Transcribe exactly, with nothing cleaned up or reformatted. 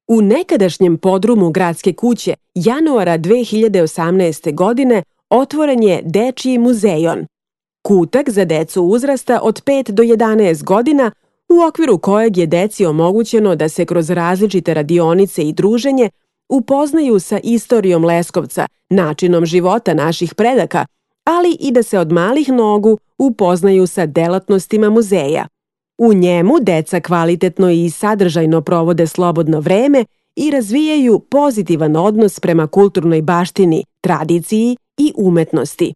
U nekadašnjem podrumu Gradske kuće januara dve hiljade osamnaeste. godine otvoren je Dečiji muzejon, kutak za decu uzrasta od pet do jedanaest godina, u okviru kojeg je deci omogućeno da se kroz različite radionice i druženje upoznaju sa istorijom Leskovca, načinom života naših predaka, ali i da se od malih nogu upoznaju sa delatnostima muzeja. U njemu deca kvalitetno i sadržajno provode slobodno vreme i razvijaju pozitivan odnos prema kulturnoj baštini, tradiciji i umetnosti.